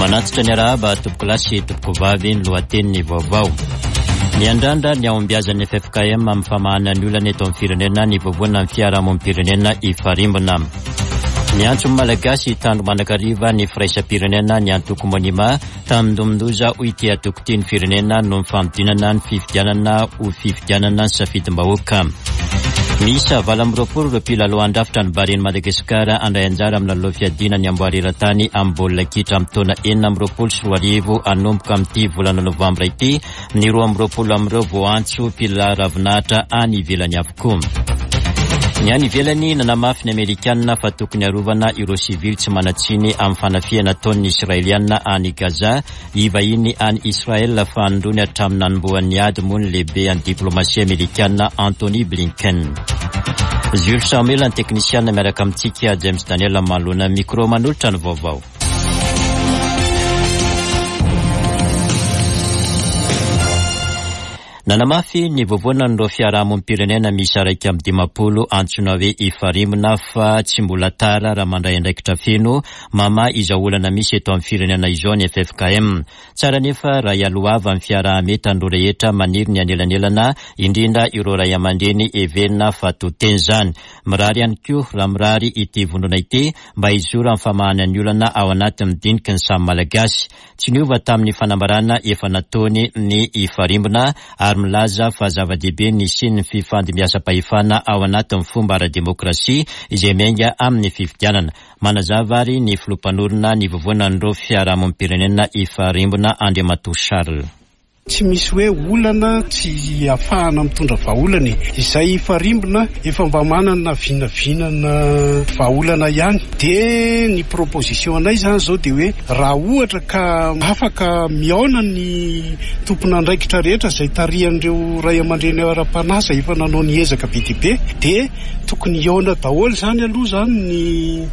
Manatitra ny arahaba tompokolahy sy tompokovavy ny lohatenin'ny vaovao. Miandrandra ny hahombiazan'ny ffkm amin'ny famahana ny olana eto amin'ny firenena ny vovonan'ny fiarahamonim-pirenena Ifarimbona. Miantso ny Malagasy hitandro mandrakariva ny firaisam-pirenena ny antoko Monima Tandindomin-doza hoy ity antoko ity ny firenena noho ny fanodinana ny fifidianana ho fifidianana ny safidim-bahoaka. Miisa 28 ireo mpilalao handrafitra ny Barean'i Madagasikara handray anjara amin'ny lalao fiadiana ny amboara eran-tany amin'ny baolina kitra amin'ny taona 2026 hanomboka amin'ity volana novambra ity. Ny 22 amin'ireo voaantso mpilalao ravinahitra any ivelany avokoa. Ny any ivelany, nanamafy ny Amerikanina fa tokony harovana ireo sivily tsy manan-tsiny amin'ny fanafihana ataon'ny Israeliana any Gaza. Hivahiny any Israel fahanindroany hatramin'ny nanombohan'ny ady moa ny lehibean'ny diplomasia amerikana Antony Blinken. Jules Samuel ny teknisiana miaraka amintsika James Daniel manoloana micro manolotra ny vaovao. Nanamafy ny vovonan'ireo fiarahamonim-pirenena miisa 51 antsoina hoe Ifarimbona fa tsy mbola tara raha mandray andraikitra feno mamaha izao olana misy eto amin'ny firenena izao ny ffkm. Tsara anefa raha ialohavan'ny fiaraha-mientan'ireo rehetra maniry ny hanelanelana, indrindra ireo ray aman-dreny heverina fa to teny izany. Mirary ihany koa raha mirary ity vondrona ity mba hizoro amin'ny famahana ny olana ao anatin'ny diniky ny samy Malagasy. Tsy niova tamin'ny fanambarana efa nataony ny Ifarimbona ary milaza fa zava-dehibe ny hisian'ny fifandimbiasam-pahefana ao anatin'ny fomba ara-demokrasia izay miainga amin'ny fifidianana. Manazava ary ny filoha mpanorina ny vovonan'ireo fiarahamonim-pirenena Ifarimbona Andriamatoa Charles. Tsy misy hoe olana tsy ahafahana mitondra vahaolana e. Izay hifarimbona efa mba manana vinavinana vahaolana ihany. Dia ny proposition anay izany izao dia hoe raha ohatra ka afaka mihaona ny tompon'andraikitra rehetra izay tarihan'ireo ray aman-dreny ara-panahy izay efa nanao ny ezaka be dia be dia Tokony hihaona daholo izany aloha izany ny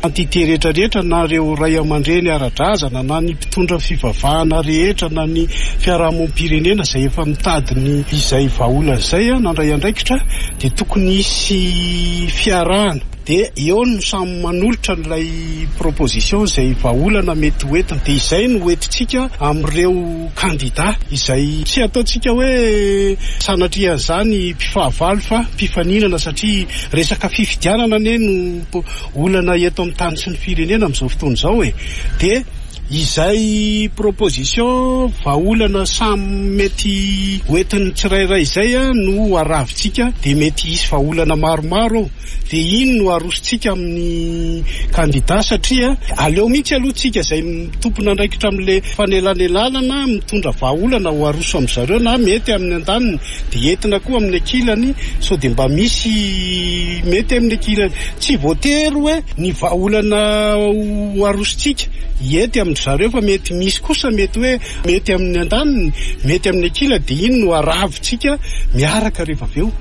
entité rehetra rehetra na ireo ray aman-dreny ara-drazana na ny mpitondra fivavahana rehetra na ny fiarahamonim-pirenena izay efa mitady ny izay vahaolana izay nandray andraikitra dia tokony hisy fiarahana dia eo no samy manolotra an'ilay proposition izay vahaolana mety ho entina dia izay no hoentintsika amin'ireo kandida izay tsy ataontsika hoe sanatria an'izany mpifahavalo fa mpifaninana satria resaka fifidianana anie no olana eto amin'ny tany sy ny firenena amin'izao fotoana izao e! dia izay proposition vahaolana samy mety hoentin'ny tsirairay izay no ho aravintsika dia mety hisy vahaolana maromaro ao. Dia iny no arosontsika amin'ny kandida satria aleo mihitsy aloha tsika izay tompon'andraikitra amin'ilay fanelanelanana mitondra vahaolana ho aroso amin-dry zareo na mety amin'ny andaniny dia entina koa amin'ny ankilany sao dia mba misy mety amin'ny ankilany. Tsy voatery hoe ny vahaolana ho arosontsika hety amin-dry zareo fa mety misy kosa mety hoe mety amin'ny andaniny, mety amin'ny ankilany dia iny no aravintsika miaraka rehefa avy eo.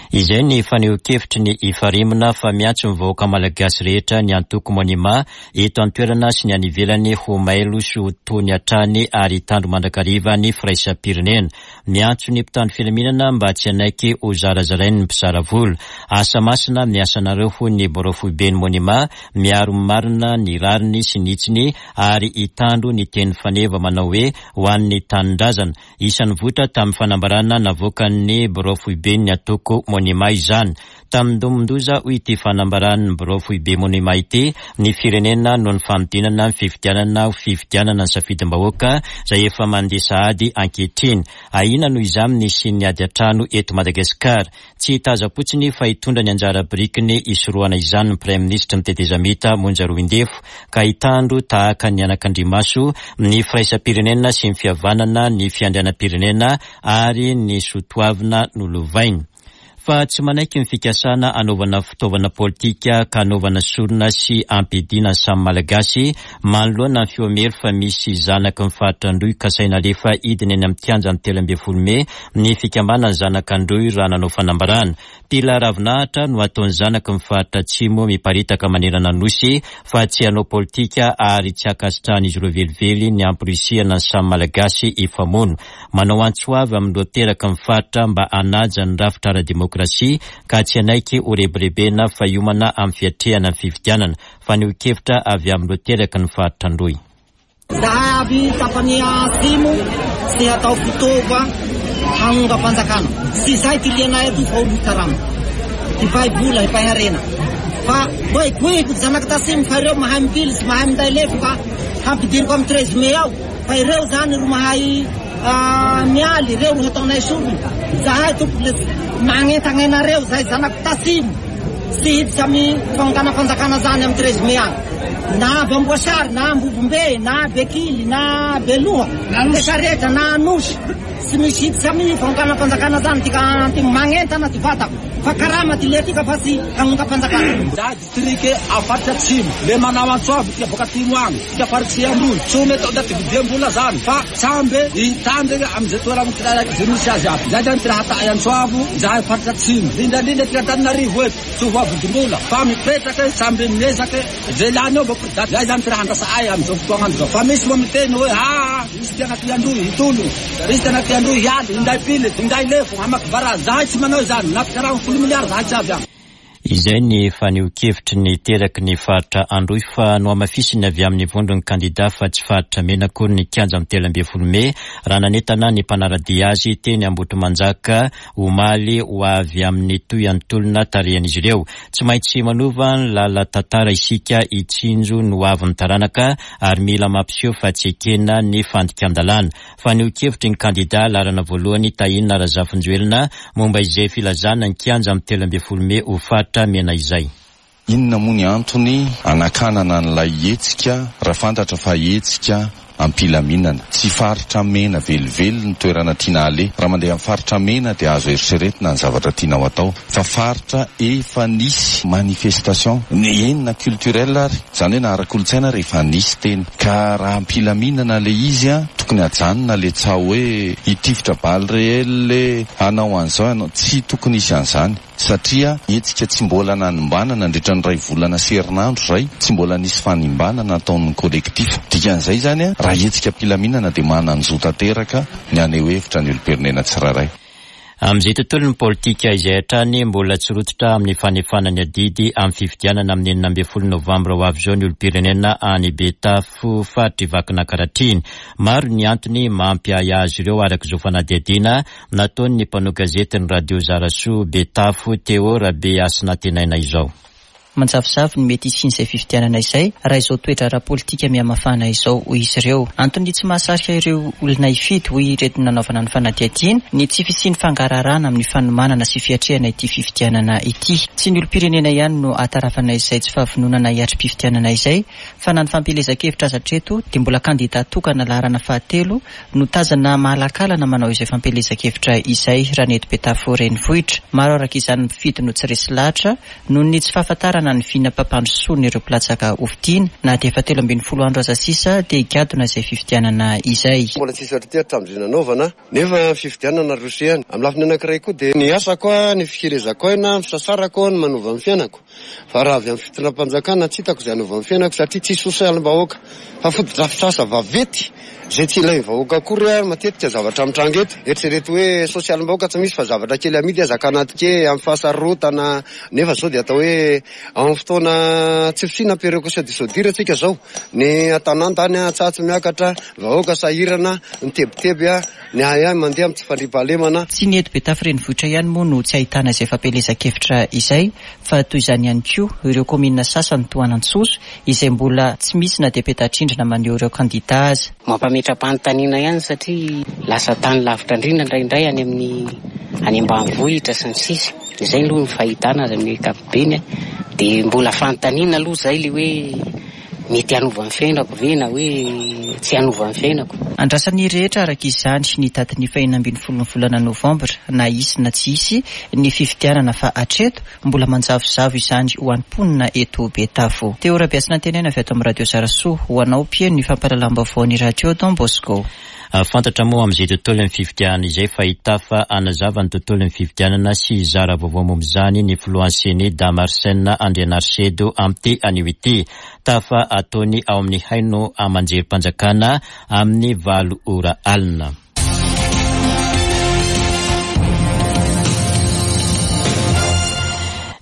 Izay ny fanehoan-kevitry ny Ifarimbona fa miantso ny vahoaka malagasy rehetra ny antoko Monima eto an-toerana sy ny any ivelany ho mailo sy ho tony hatrany ary hitandro mandrakariva ny firaisam-pirenena. Miantso ny mpitandro filaminana mba tsy hanaiky ho zarazarain'ny mpizara vola. Asa masina ny asanareo hoy ny birao foiben'ny Monima, miaro ny marina, ny rariny sy ny hitsiny ary hitandro ny teny faneva manao hoe ho an'ny tanindrazana. Isan'ny voitra tamin'ny fanambarana navoakan'ny birao foiben'ny antoko Monima izany. Tandindomin-doza, hoy ity fanambaran'ny birao foibe Monima ity, ny firenena noho ny fanodinana ny fifidianana ho fifidianana ny safidim-bahoaka izay efa mandeha sahady ankehitriny. Ahiana noho izany ny hisian'ny ady an-trano eto Madagasikara. Tsy hitazam-potsiny fa hitondra ny anjara birikiny hisorohana izany ny Praiminisitry ny tetezamita Monja Roindefo ka hitandro tahaka ny anakandrimaso ny firaisam-pirenena sy ny fihavanana ny fiandrianam-pirenena ary ny soatoavina nolovainy. Fa tsy manaiky ny fikasana hanaovana fitaovana politika ka hanaovana sorona sy hampiadiana ny samy Malagasy manoloana ny feo miery fa misy zanaky ny faritra Androy kasaina alefa hidina eny amin'ny kianjan'ny 13 mey ny fikambanan'ny zanak'Androy raha nanao fanambarana. Mpila ravinahitra no ataon'ny zanaky ny faritra Atsimo miparitaka manerana ny Nosy fa tsy hanao politika ary tsy ankasitrahan'izy ireo velively ny hamporisihana ny samy Malagasy hifamono. Manao antso avo amin'ireo teraky ny faritra mba hanaja ny rafitra ara-demokrasia ka tsy hanaiky ho rebirebena fa hiomana amin'ny fiatrehana ny fifidianana. Fanehoan-kevitra avy amin'ireo teraky ny faritra Androy. Zahay avy tapany atsimo tsy atao fitaova hagnongam-panjakana. Tsy izay ty lianay eto fa olo hikarama, hipay vola, hipay harena. Fa koikoiko ty zanaky tatsimo fa ireo mahay mipily sy mahay minday lefo ka hampidiriko amy 13 mai ao. Fa ireo zany ro mahay mialy, ireo ro hataonay sorona. Zahay tompoko le magnentagna anareo zahay zanaky tatsimo tsy hiditra amy fagnonganam-panjakana zany amy 13 mai agny. Na avy Amboasary, na Ambovombe, na Bekily, na Beloha, rehetra rehetra, na Anosy, tsy misy hiditra amy fagnonganam-panjakana zany ty ka antimo magnentana ty vatako fa karama ty letika fa tsy hagnongam-panjakana. Za distrike ao faritra atsimo le manao antso avo tika boaka atimo agny tika faritsy Androy tsy omety ndaty vidiam-bola zany fa samby hitandrina amizay toerana tsirairay zay misy azy aby. Zay zany ty raha atahy antso avo zahay faritra atsimo indrindra tika Antananarivo eto tsy ho voavidim-bola fa mipetrake samby miezake zay lany eo mba zay zany ty raha andrasa'ay amizao fotoagn'andro zao fa misy moa miteny hoe aa misy ty agnaty Androy hitologno, misy ty agnaty Androy hialy hinday pily hinday lefo hamaky barazy. Zahay tsy manao izany na karaha 10 miliara zahay tsy avy agny. Izay ny fanehoan-kevitry ny teraky ny faritra Androy fa nohamafisiny avy amin'ny vondron'ny kandida fa tsy faritra mena akory ny kianja amin'ny 13 mey raha nanentana ny mpanara-dia azy teny Ambohitrimanjaka omaly ho avy amin'ny tohin'ny tolona tarihan'izy ireo. Tsy maintsy manova ny lala-tantara isika hitsinjo ny ho avin'ny taranaka ary mila mampiseho fa tsy ekena ny fandikan-dalàna. Fanehoan-kevitry ny kandida laharana voalohany Tahina Razafinjoelina momba izay filazana ny kianja amin'ny 13 mey ho faritra mena izay. Inona moa ny antony anakanana an'ilay hetsika raha fantatra fa hetsika ampilaminana? Tsy faritra mena velively ny toerana tiana aleha. Raha mandeha amin'ny faritra mena dia azo eritreretina ny zavatra tianao atao. Fa faritra efa nisy manifestation, eny na culturel ary, izany hoe na ara-kolontsaina ary efa nisy teny. Ka raha ampilaminana ilay izy, tokony hajanona ilay tsaho hoe hitifitra balle réelle, hanao an'izao, hanao, tsy tokony hisy an'izany. Satria hetsika tsy mbola nanimbana nandritra ny 1 volana sy herinandro izay, tsy mbola nisy fanimbana nataon'ny collectif. Dikan'izay izany, raha hetsika am-pilaminana dia manan-jo tanteraka ny haneho hevitra ny olom-pirenena tsirairay. Amin'izay tontolon'ny politika izay hatrany mbola tsy rototra amin'ny fanefana ny adidy amin'ny fifidianana amin'ny 16 novambra ho avy izao ny olom-pirenena any Betafo faritry Vakinankaratra. Maro ny antony mampiahiahy azy ireo araka izao fanadihadiana nataon'ny mpanao gazety ny radio Zarasoa Betafo Théo Rabehasinantenaina izao. Manjavozavo ny mety hisian'izay fifidianana izay raha izao toetra ara-politika mihamafana izao, hoy izy ireo. Antony tsy mahasarika ireo olona hifidy, hoy ireto nanaovana ny fanadihadiana, ny tsy fisian'ny fangaraharaana amin'ny fanomanana sy fiatrehana ity fifidianana ity. Tsy ny olom-pirenena ihany no ahatarafana izay tsy fahavononana hiatri-pifidianana izay, fa na ny fampielezan-kevitra aza hatreto dia mbola kandida tokana laharana fahatelo no tazana mahalakalana manao izay fampielezan-kevitra izay raha ny eto Betafo renivohitra. Maro araka izany ny mpifidy no tsy resy lahatra noho ny tsy fahafantarana ny vinam-pampandrosoan'ireo mpilatsaka hofidiana. Na dia efa 13 andro aza sisa dia higadona izay fifidianana izay. Mbola tsisy ohatry ity hatramin'izay nanaovana, nefa fifidianana roso ihany. Amin'ny lafiny anankiray koa dia ny asako, ny fikelezako aina, ny fisasarako, ny manova ny fiainako. Fa raha avy amin'ny fitondram-panjakana tsy hitako izay hanova ny fiainako satria tsy sosialim-bahoaka fa fotodrafitrasa vaventy izay tsy ilain'ny vahoaka akory ary matetika zavatra mitranga eto. Eritrereto hoe sosialim-bahoaka tsy misy fa zavatra kely amidy aza kanatike amin'ny fahasarotana nefa izao dia atao hoe amin'ny fotoana tsy fisiana péréquation du soudure tsika izao. Ny an-tanàna any tsatsy miakatra, vahoaka sahirana, mitebiteby, ny ahiahy mandeha amin'ny tsy fandriampahalemana. Tsy ny eto Betafo renivohitra ihany moa no tsy ahitana izay fampielezan-kevitra izay fa toy izany ihany koa ireo kaominina sasany toa an'Antsoso izay mbola tsy misy na dia peta-drindrina maneho ireo kandida aza. Mampametra-panontaniana ihany satria lasa tany lavitra indrindra indraindray any amin'ny any ambanivohitra sy ny sisa. Izay aloha ny fahitana azy amin'ny ankapobeny dia mbola fanontaniana aloha izay ilay hoe mety hanova ny fiainako ve na hoe tsy hanova ny fiainako. Andrasan'ny rehetra araka izany ny datin'ny faha-16 ny volana novambra na hisy na tsy hisy ny fifidianana fa hatreto mbola manjavozavo izany ho an'ny mponina eto Betafo. Théo Rabehasinantenaina avy ato amin'ny radio Zarasoa ho anao mpihaino ny fampahalalam-baovaon'ny radio Don Bosco. Fantatra moa amin'izay tontolon'ny fifidianana izay fa hitafa hanazava ny tontolon'ny fifidianana sy hizara vaovao momba izany ny filohan'ny CENI Dama Arsène Andrianarisedo amin'ity anio ity. Tafa ataony ao amin'ny haino aman-jerim-panjakana amin'ny 8 ora alina.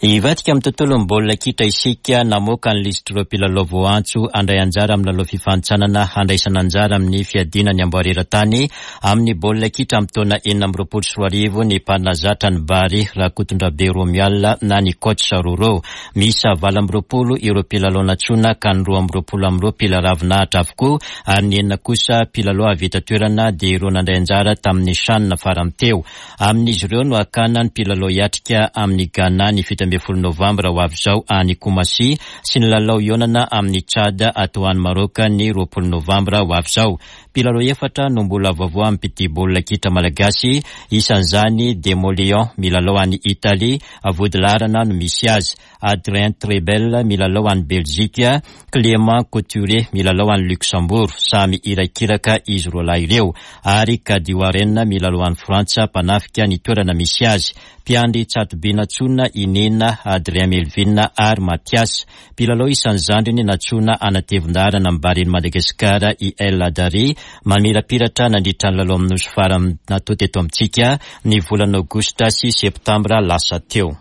Hivadika amin'ny tontolon'ny baolina kitra isika, namoaka ny lisitr'ireo mpilalao voaantso handray anjara amin'ny lalao fifanintsanana handraisana anjara amin'ny fiadiana ny amboara eran-tany amin'ny baolina kitra amin'ny taona 2026 ny mpanazatra ny Bary Rakotondrabe Romuald na ny Coach Roro. Miisa 28 ireo mpilalao nantsoina ka ny 22 amin'ireo mpila ravinahitra avokoa ary ny enina kosa mpilalao avy eto an-toerana dia ireo nandray anjara tamin'ny Chan farany teo. Amin'izy ireo no hakana ny mpilalao hiatrika amin'i Ghana ny 17 novambra ho avy izao any Koumassi sy ny lalao hihaonana amin'i Tchad atao any Maroc ny 20 novambra ho avy izao. Mpilalao efatra no mbola vaovao amin'ny baolina kitra malagasy, isan'izany Demoleon milalao any Italie, vodilaharana no misy azy, Adrien Trebel milalao any Belgique, Clément Couturier milalao any Luxembourg, samy irakiraka izy roalahy ireo, ary Kadi Warren milalao any Frantsa, mpanafika ny toerana misy azy. Mpiandry tsatoby nantsoina i Nina, Adrien Melvin ary Mathias. Mpilalao isan'ny zandriny nantsoina hanatevin-daharana amin'ny Baren'i Madagasikara i El Hadary, mamirapiratra nandritra ny lalao amin'ny Nosy farany natao teto amintsika ny volana aogositra sy septambra lasa teo.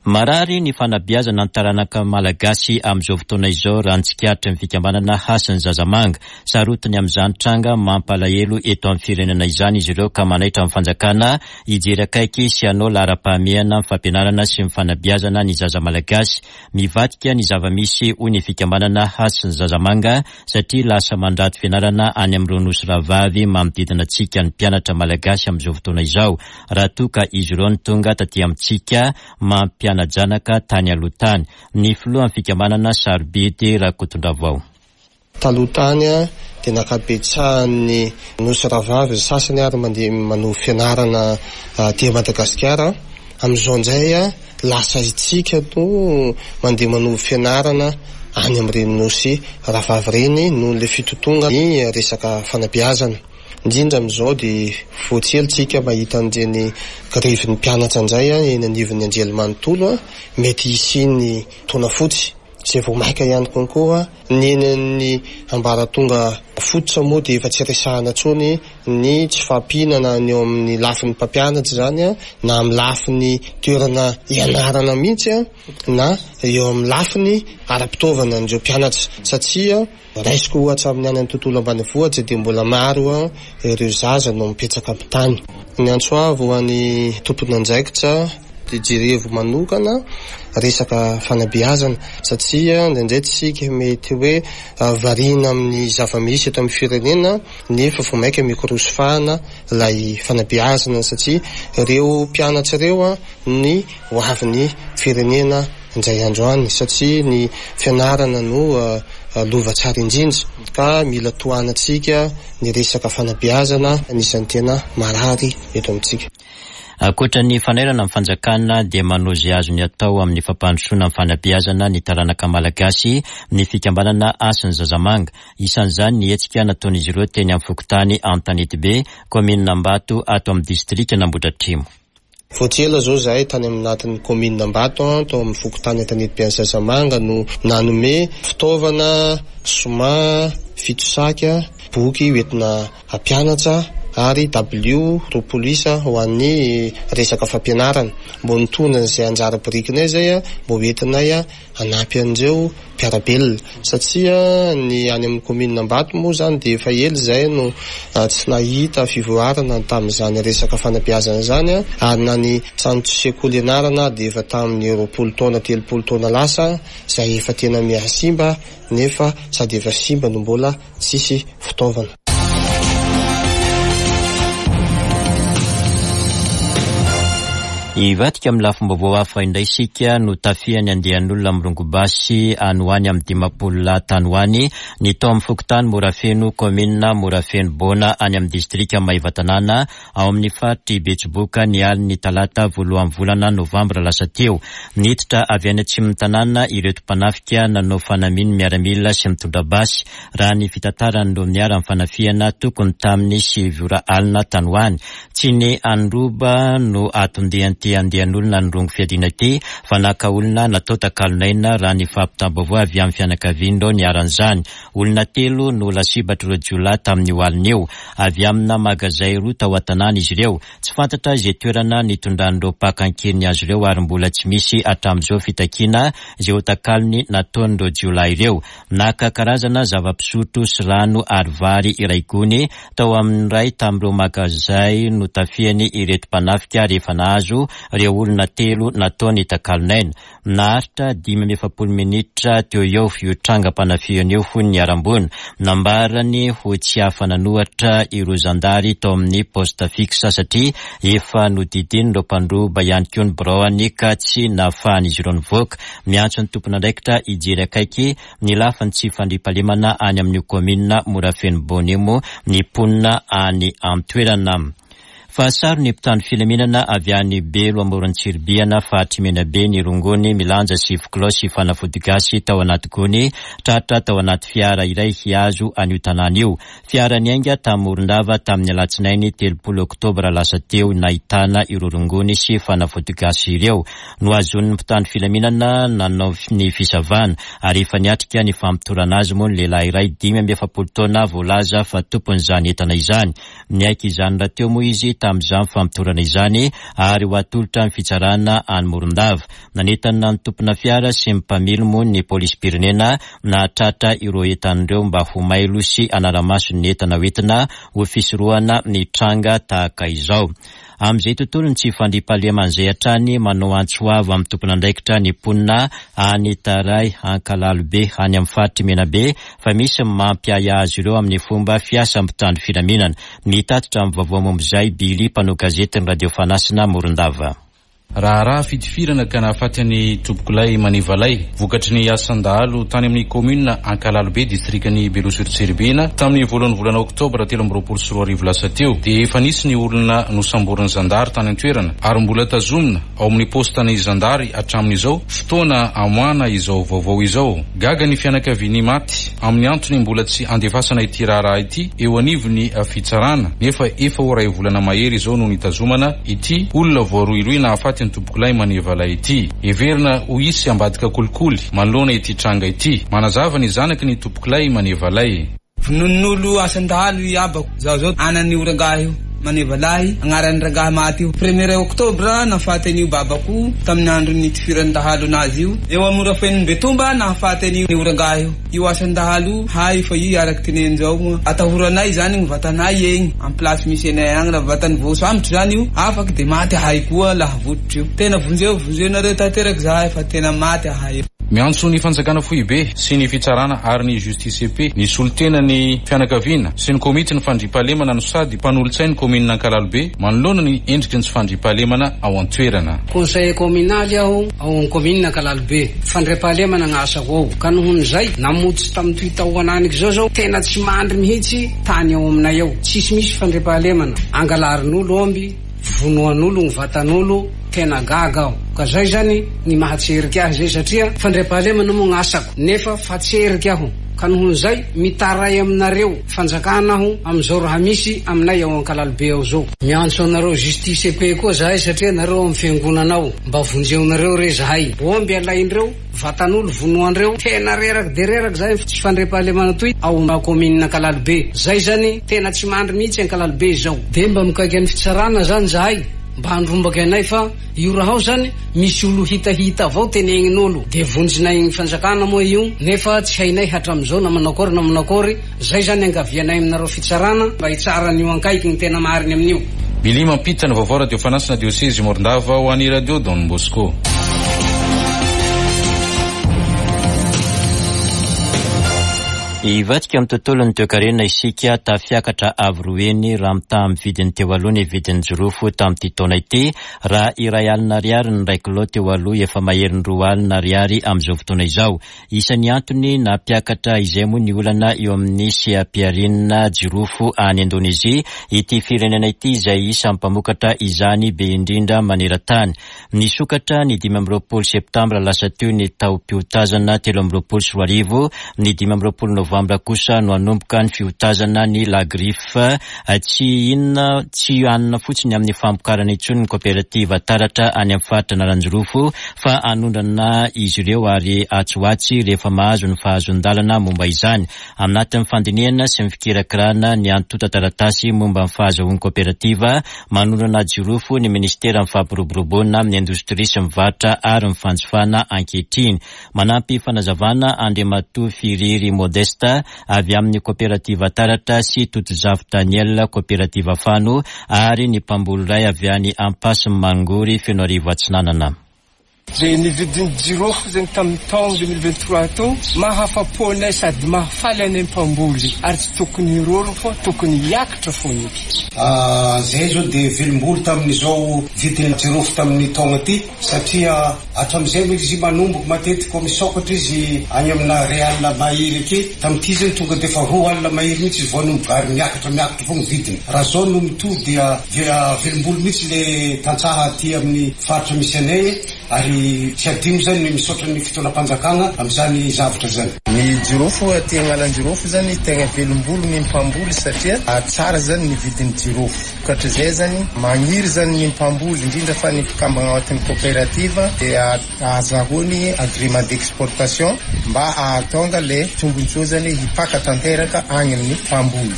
Marary ny fanabeazana ny taranaka malagasy amin'izao fotoana izao raha ny tsikaritry ny fikambanana Hasin'ny Zazamanga. Sarotiny amin'izany tranga mampalahelo eto amin'ny firenena izany izy ireo ka manaitra ny fanjakana hijery akaiky sy hanao laharam-pahamehana ny fampianarana sy ny fanabeazana ny zaza malagasy. Mivadika ny zava-misy hoy ny fikambanana Hasin'ny Zazamanga satria lasa mandrato fianarana any amin'ireo nosy rahavavy manodidina antsika ny mpianatra malagasy amin'izao fotoana izao raha toa ka izy ireo no tonga taty amintsika mampiana-janaka tany aloha tany. Ny filohan'ny fikambanana Sarobidy Rakotondravao. Taloha tany dia nankabetsahan'ny nosy rahavavy ny sasany ary mandeha manohy fianarana aty Madagasikara. Amin'izao indray lasa isika no mandeha manohy fianarana any amin'ireny nosy rahavavy ireny noho ilay fitotongan'ny resaka fanabeazana. Indrindra amin'izao dia vao tsy ela isika mahita an'ireny grevin'ny mpianatra indray eny anivon'ny anjerimanontolo, mety hisian'ny taona fotsy izay vao maika ihany konkoa. Ny eny amin'ny ambaratonga fototra moa dia efa tsy resahana intsony ny tsy fahampiana na ny eo amin'ny lafiny mpampianatra izany na amin'ny lafiny toerana ianarana mihitsy na eo amin'ny lafiny ara-pitaovana an'ireo mpianatra satria raisiko ohatra amin'ny any amin'ny tontolo ambanivohitra dia mbola maro ireo zaza no mipetraka amin'ny tany. Ny antso avo ho an'ny tompon'andraikitra dia jerevo manokana resaka fanabeazana satria indraindray tsika mety hoe variana amin'ny zava-misy eto amin'ny firenena nefa vao mainka mikorosy fahana ilay fanabeazana satria ireo mpianatra ireo ny ho avin'ny firenena indray andro any satria ny fianarana no lova tsara indrindra ka mila tohanantsika ny resaka fanabeazana anisan'ny tena marary eto amintsika. Ankoatra ny fanairana ny fanjakana dia manao izay azony atao amin'ny fampandrosoana ny fanabeazana ny taranaka malagasy ny fikambanana Hasin'ny Zazamanga. Isan'izany ny hetsika nataon'izy ireo teny amin'ny fokontany Antanetibe, kaominina Ambato ato amin'ny distrikan'Ambohidratrimo. Vao tsy ela izao izahay tany anatin'ny kaominina Ambato, tao amin'ny fokontany Antanetibe any Zazamanga no nanome fitaovana, soma, fitosaka, boky hoentina hampianatra ary dabilio 20 isa ho an'ny resaka fampianarana. Mbô nitondra an'izay anjara birikinay izay mbô hoentinay hanampy an'ireo mpiara-belona satria ny any amin'ny kaominina Ambato moa izany dia efa ela izay no tsy nahita fivoarana tamin'izany resaka fanabeazana izany ary na ny trano sekoly ianarana dia efa tamin'ny 20 taona 30 taona lasa izay efa tena mihasimba nefa sady efa simba no mbola tsisy fitaovana. Hivadika amin'ny lafim-baovao hafa indray isika, notafihan'ny andian'olona mirongo basy any ho any amin'ny 50 lahy tany ho any ny tao amin'ny fokontany Morafeno, kaominina Morafeno Bona any amin'ny distrika Maevatanàna ao amin'ny faritr'i Betsiboka ny alin'ny talata voalohan'ny volana novambra lasa teo. Niditra avy any atsimon'ny tanàna ireto mpanafika nanao fanamian'ny miaramila sy mitondra basy, raha ny fitantaran'ireo niharan'ny fanafihana tokony tamin'ny sivy ora alina tany ho any. Tsy ny handroba no aton-dian'ity. ity andian'olona nirongo fiadiana ity fa naka olona natao takalon'aina raha ny fampitam-baovao avy amin'ny fianakavian'ireo niharan'izany. Olona telo no lasibatr'ireo jiolahy tamin'io alina io. Avy amina magazay roa tao an-tanàna izy ireo. Tsy fantatra izay toerana nitondran'ireo mpaka an-keriny azy ireo ary mbola tsy misy hatramin'izao fitakiana izay ho takalony nataon'ireo jiolahy ireo. Naka karazana zava-pisotro sy rano ary vary iray gony tao amin'ny iray tamin'ireo magazay notafihany ireto mpanafika rehefa nahazo ireo olona telo nataony takalon'aina. Naharitra 45 minitra teo eo io trangam-panafihana io hoy ny niharam-boina. Nambarany ho tsy afa-nanohatra ireo zandary tao amin'ny poste fixe satria efa nodidin'ireo mpandroba ihany koa ny biraony ka tsy nahafahan'izy ireo nivoaka. Miantso ny tompon'andraikitra hijery akaiky ny lafiny tsy fandriampahalemana any amin'io kaominina Morafeno Bonimo ny mponina any an-toerana. Fa saron'ny mpitandro filaminana avy any Belo amoron'i Tsiribihana, faritr'i Menabe ny rongony milanja sivy kilao sy fanafody gasy tao anaty gony tratra tao anaty fiara iray hihazo an'io tanàna io. Fiara niainga tany Morondava tamin'ny alatsinainy 30 oktobra lasa teo nahitana ireo rongony sy fanafody gasy ireo. Nohazonin'ny mpitandro filaminana nanao ny fisavana ary efa niatrika ny famotorana azy moa ny lehilahy iray 45 taona voalaza fa tompon'izany entana izany. Niaiky izany rahateo moa izy tamin'izany famotorana izany ary ho atolotra ny fitsarana any Morondava. Nanentana ny tompona fiara sy ny mpamily moa ny polisim-pirenena nahatratra ireo entana ireo mba ho mailo sy hanara-maso ny entana hoentina ho fisorohana ny tranga tahaka izao. Amin'izay tontolon'ny tsy fandriampahalemana izay hatrany, manao antso avo amin'ny tompon'andraikitra ny mponina any Taray Ankalalobe any amin'ny faritr'i Menabe fa misy ny mampiahiahy azy ireo amin'ny fomba fiasan'ny mpitandro filaminana. Mitatitra ny vaovao momba izay Billy, mpanao gazetin'ny Radio Fanasina Morondava. Raharaha fitifirana ka nahafaty an'i Tompokolahy Manevalay, vokatry ny asan-dahalo tany amin'ny kaominina Ankalalobe, distrikan'i Belo sur Tsiribihina, tamin'ny voalohan'ny volana oktobra 2023 lasa teo, dia efa nisy ny olona nosamborin'ny zandary tany an-toerana ary mbola tazomina ao amin'ny paostan'ny zandary hatramin'izao fotoana amoahana izao vaovao izao. Gaga ny fianakavian'ny maty amin'ny antony mbola tsy andefasana ity raharaha ity eo anivon'ny fitsarana nefa efa ho iray volana mahery izao no nitazomana ity olona voarohirohy nahafaty ny tompokolahy Manevalahy ity. Heverina ho hisy ambadika kolikoly manoloana ity tranga ity. Manazava ny zanaky ny tompokolahy Manevalahy. Vononin'olo asan-dahalo i abako, zaho zao anan'io rangahy io, Manevalahy, agnaran'ny rangahy maty io. Premier octobre nahafaty an'io babako io tamin'ny andro nitifiran'ny dahalo anazy io. Eo a Morafeno Betomba nahafaty an'io rangahy io. Io asan-dahalo io hay fa io araky teneny zao moa atahoranay zany gny vatanay egny am place misy anay agny raha vatany voasambotra zany io afaky de maty ahay koa laha vototry io tena vonjeo vonjeo nareo tanteraky zahay fa tena maty ahay io. Miantso ny fanjakana foibe sy ny fitsarana ary ny justice et ny solontena ny fianakaviana sy ny komity ny fandriampahalemana no sady mpanolotsain'ny kaominina Ankalalobe manoloana ny endriky ny tsy fandriampahalemana ao an-toerana. Conseiller communal aho ao amin'ny kaominina Ankalalobe. Fandriampahalemana gn'asako ao. Ka nohon'izay, namotsy tamin'itoy tao ananiky izao zao, tena tsy mandry mihitsy tany ao aminay ao. Tsisy misy fandriampahalemana. Angalarin'olo omby, vonoan'olo gny vatan'olo, tena gaga aho. Ka zay zany ny mahatserika ahy zay satria fandriampahalemana moa gn'asako nefa fatserika aho. Ka nohon'izay, mitaray aminareo fanjakana aho amin'izao raha misy aminay ao Ankalalobe ao zao. Miantso anareo justice et paix koa zahay satria nareo ao amin'ny fiangonana ao. Mba vonjeonareo re zahay. Omby alaindreo, vatan'olo vonoandreo, tena reraky de reraky zahay tsy fandriampahalemana toy ao commune Ankalalobe. Zay zany tena tsy mandry mihitsy Ankalalobe izao. De mba mikaiky an'ny fitsarana zany zahay mba handrombaky anay fa io raha ao zany misy olo hitahita avao tenegnin'olo de vonjinay fanjakana moa io nefa tsy hainay hatramizao na manao akory na manao akory. Zay zany angavianay aminareo fitsarana mba hitsara an'io ankaiky ny tena mariny amin'io. Billy mampita ny vaovao Radio Fanasina Diosezy Morondava ho an'i Radio Don Bosco. Hivadika amin'ny tontolon'ny toekarena isika, tafiakatra avo roa heny raha mitaha amin'ny vidiny teo aloha ny vidin'ny jirofo tamin'ity taona ity, raha 100 ariary ny iray kilao teo aloha, efa maherin'ny 20 ariary amin'izao fotoana izao. Isan'ny antony nampiakatra izay moa ny olana eo amin'ny seha-pihariana jirofo any Indonezia, ity firenena ity izay isan'ny mpamokatra izany be indrindra maneran-tany. Nisokatra ny 25 septambra lasa teo ny taom-piotazana 2023, ny 25 novambra. novambra kosa no hanomboka ny fiotazana ny la griffe. Tsy inona, tsy hanina fotsiny amin'ny famokarana intsony ny kaoperativa Taratra any amin'ny faritra Analanjirofo fa hanondrana izy ireo ary atsy ho atsy rehefa mahazo ny fahazoan-dalana momba izany. Anatin'ny fandinihana sy ny fikirakirana ny antontan-taratasy momba ny fahazahoan'ny kaoperativa manondrana jirofo ny minisiteran'ny Fampiroboroboana ny indostria sy ny varotra ary ny fanjifana ankehitriny. Manampy fanazavana Andriamatoa Firiry Modeste avy amin'ny kaoperativa Taratra sy Totozafy Daniel kaoperativa Fano ary ny mpamboly iray avy any Ampasimmangory Fenoarivo Atsinanana. Izay nividin'ny jirofo zegny tamin'ny taogno 2023 teo, mahafa-po anay sady mahafaly anay mpamboly ary tsy tokony hiroro fa tokony hiakatra fogna eky. Zahay zao dia velom-bolo tamin'izao vidin'ny jirofo tamin'ny taogno ty satria hatramin'izay moa izy manomboka matetika koa misokatra izy any amina iray alina mahery ake, tamin'ity zany tonga dia efa roa alina mahery mihitsy izy vao hanomboka ary miakatra miakatra foagna vidiny. Raha zao no mitohy dia Dia velombolo mihitsy le tantsaha aty amin'ny faritra misy anay ary tsy adino zany ny misaotra ny fitondram-panjakana amin'izany zavatra izany. Ny jirofo aty Analanjirofo zany tegna velombolo ny mpamboly satria tsara zany ny vidin'ny jirofo. Vokatrizay zany magniry zany ny mpamboly indrindra fa ny mpikambagna ao anatin'ny coopérative dia ahazahoany agrément d'exportation mba ahatonga le tombotsoa zany hipaka tanteraka agny amin'ny mpamboly.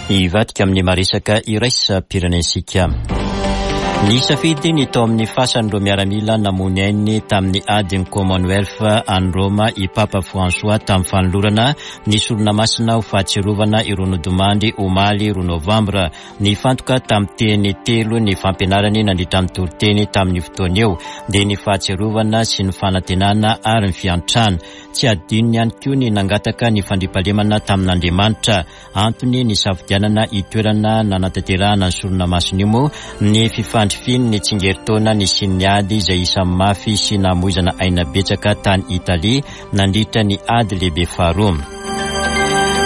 Hivadika amin'ny maresaka iraisam-pirenentsika. Nisafidy ny tao amin'ny fasan'ireo miaramila namoy ainy tamin'ny adin'ny Commonwealth any Roma i Papa François tamin'ny fanolorana ny sorona masina ho fahatsiarovana ireo nodimandry omaly roa novambra. Nifantoka tamin'ny teny telo ny fampianarany nandritra ny toriteny tamin'io fotoana io, dia ny fahatsiarovana sy ny fanantenana ary ny fiantrana. Tsy adinony ihany koa ny nangataka ny fandriampahalemana tamin'Andriamanitra. Antony nisafidianana io toerana nanatanterahana ny sorona masina io moa ny fifandrifian'ny tsingerin-taona nisian'ny ady izay isan'ny mafy sy namoizana aina betsaka tany Italia nandritra ny Ady Lehibe Faharoa.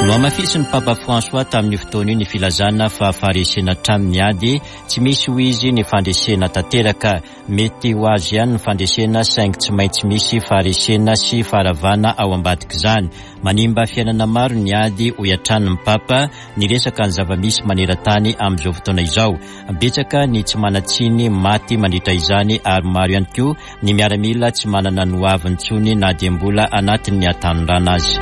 Nohamafisin'ny Papa François tamin'io fotoana io ny filazana fa faharesena hatrany ny ady, tsy misy hoy izy ny fandresena tanteraka. Mety ho azo ihany ny fandresena saingy tsy maintsy misy faharesena sy faharavana ao ambadik'izany. Manimba fiainana maro ny ady hoy hatrany ny Papa, niresaka ny zava-misy maneran-tany amin'izao fotoana izao. Betsaka ny tsy manan-tsiny maty mandritra izany ary maro ihany koa ny miaramila tsy manana ny hoaviny intsony na dia mbola anatin'ny hatanorana aza.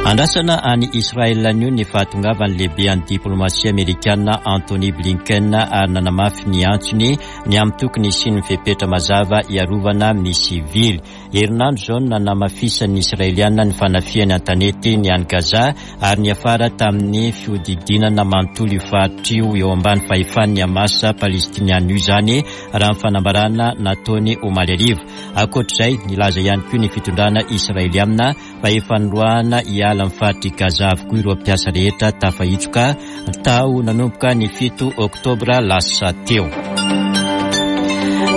Andrasana any Israel anio ny fahatongavan'ny lehibean'ny diplomasia amerikana Antony Blinken ary nanamafy ny antsony ny amin'ny tokony hisian'ny fepetra mazava hiarovana ny sivily. Herinandro izao no nanamafisan'ny Israeliana ny fanafihany an-tanety ny any Gaza ary niafara tamin'ny fihodidinana manontolo io faritra io eo ambany fahefan'ny Hamas palestiniana io izany raha ny fanambarana nataony omaly hariva. Ankoatr'izay, nilaza ihany koa ny fitondrana Israeliana fa efa noroahana hiala amin'ny faritr'i Gaza avokoa ireo mpiasa rehetra tafahitsoka tao nanomboka ny fito oktobra lasa teo.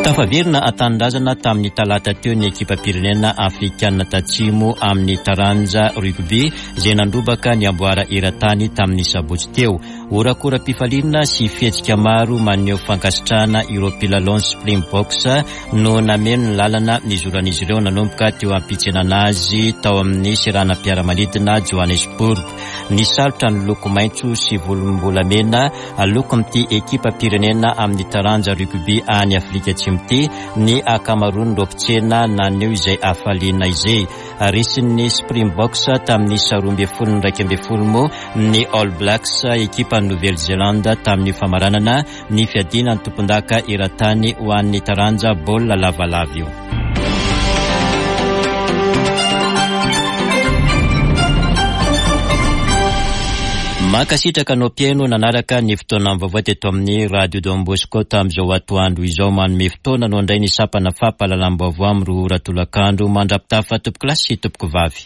Tafaverina an-tanindrazana tamin'ny talata teo ny ekipam-pirenena afrikanina tatsimo amin'ny taranja rugby izay nandrobaka ny amboara eran-tany tamin'ny sabotsy teo. Horakoram-pifaliana sy fihetsika maro maneho fankasitrahana ireo mpilalaon'ny Springboks no nameno ny lalana nizoran'izy ireo nanomboka teo am-pitsenana azy tao amin'ny seranam-piaramanidina Johannesburg. Nisalotra ny loko maitso sy volombolamena lokon'ity ekipam-pirenena amin'ny taranja rugby any Afrika Atsimo ity ny ankamaroan'ireo mpitsena naneho izay hafaliana izay. Resin'ny Springboks tamin'ny isa 12-11 moa ny All Blacks, ekipan'i Nouvelle-Zélande tamin'ny famaranana ny fiadiana ny tompondaka eran-tany ho an'ny taranja baolina lavalava io. Mankasitraka anao mpihaino nanaraka ny fotoana vaovao teto amin'ny Radio Don Bosco tamin'izao atoandro izao. Manome fotoana anao indray ny sampana fampahalalam-baovao amin'ny roa ora tolakandro. Mandra-pitafa tompokolahy sy tompokovavy.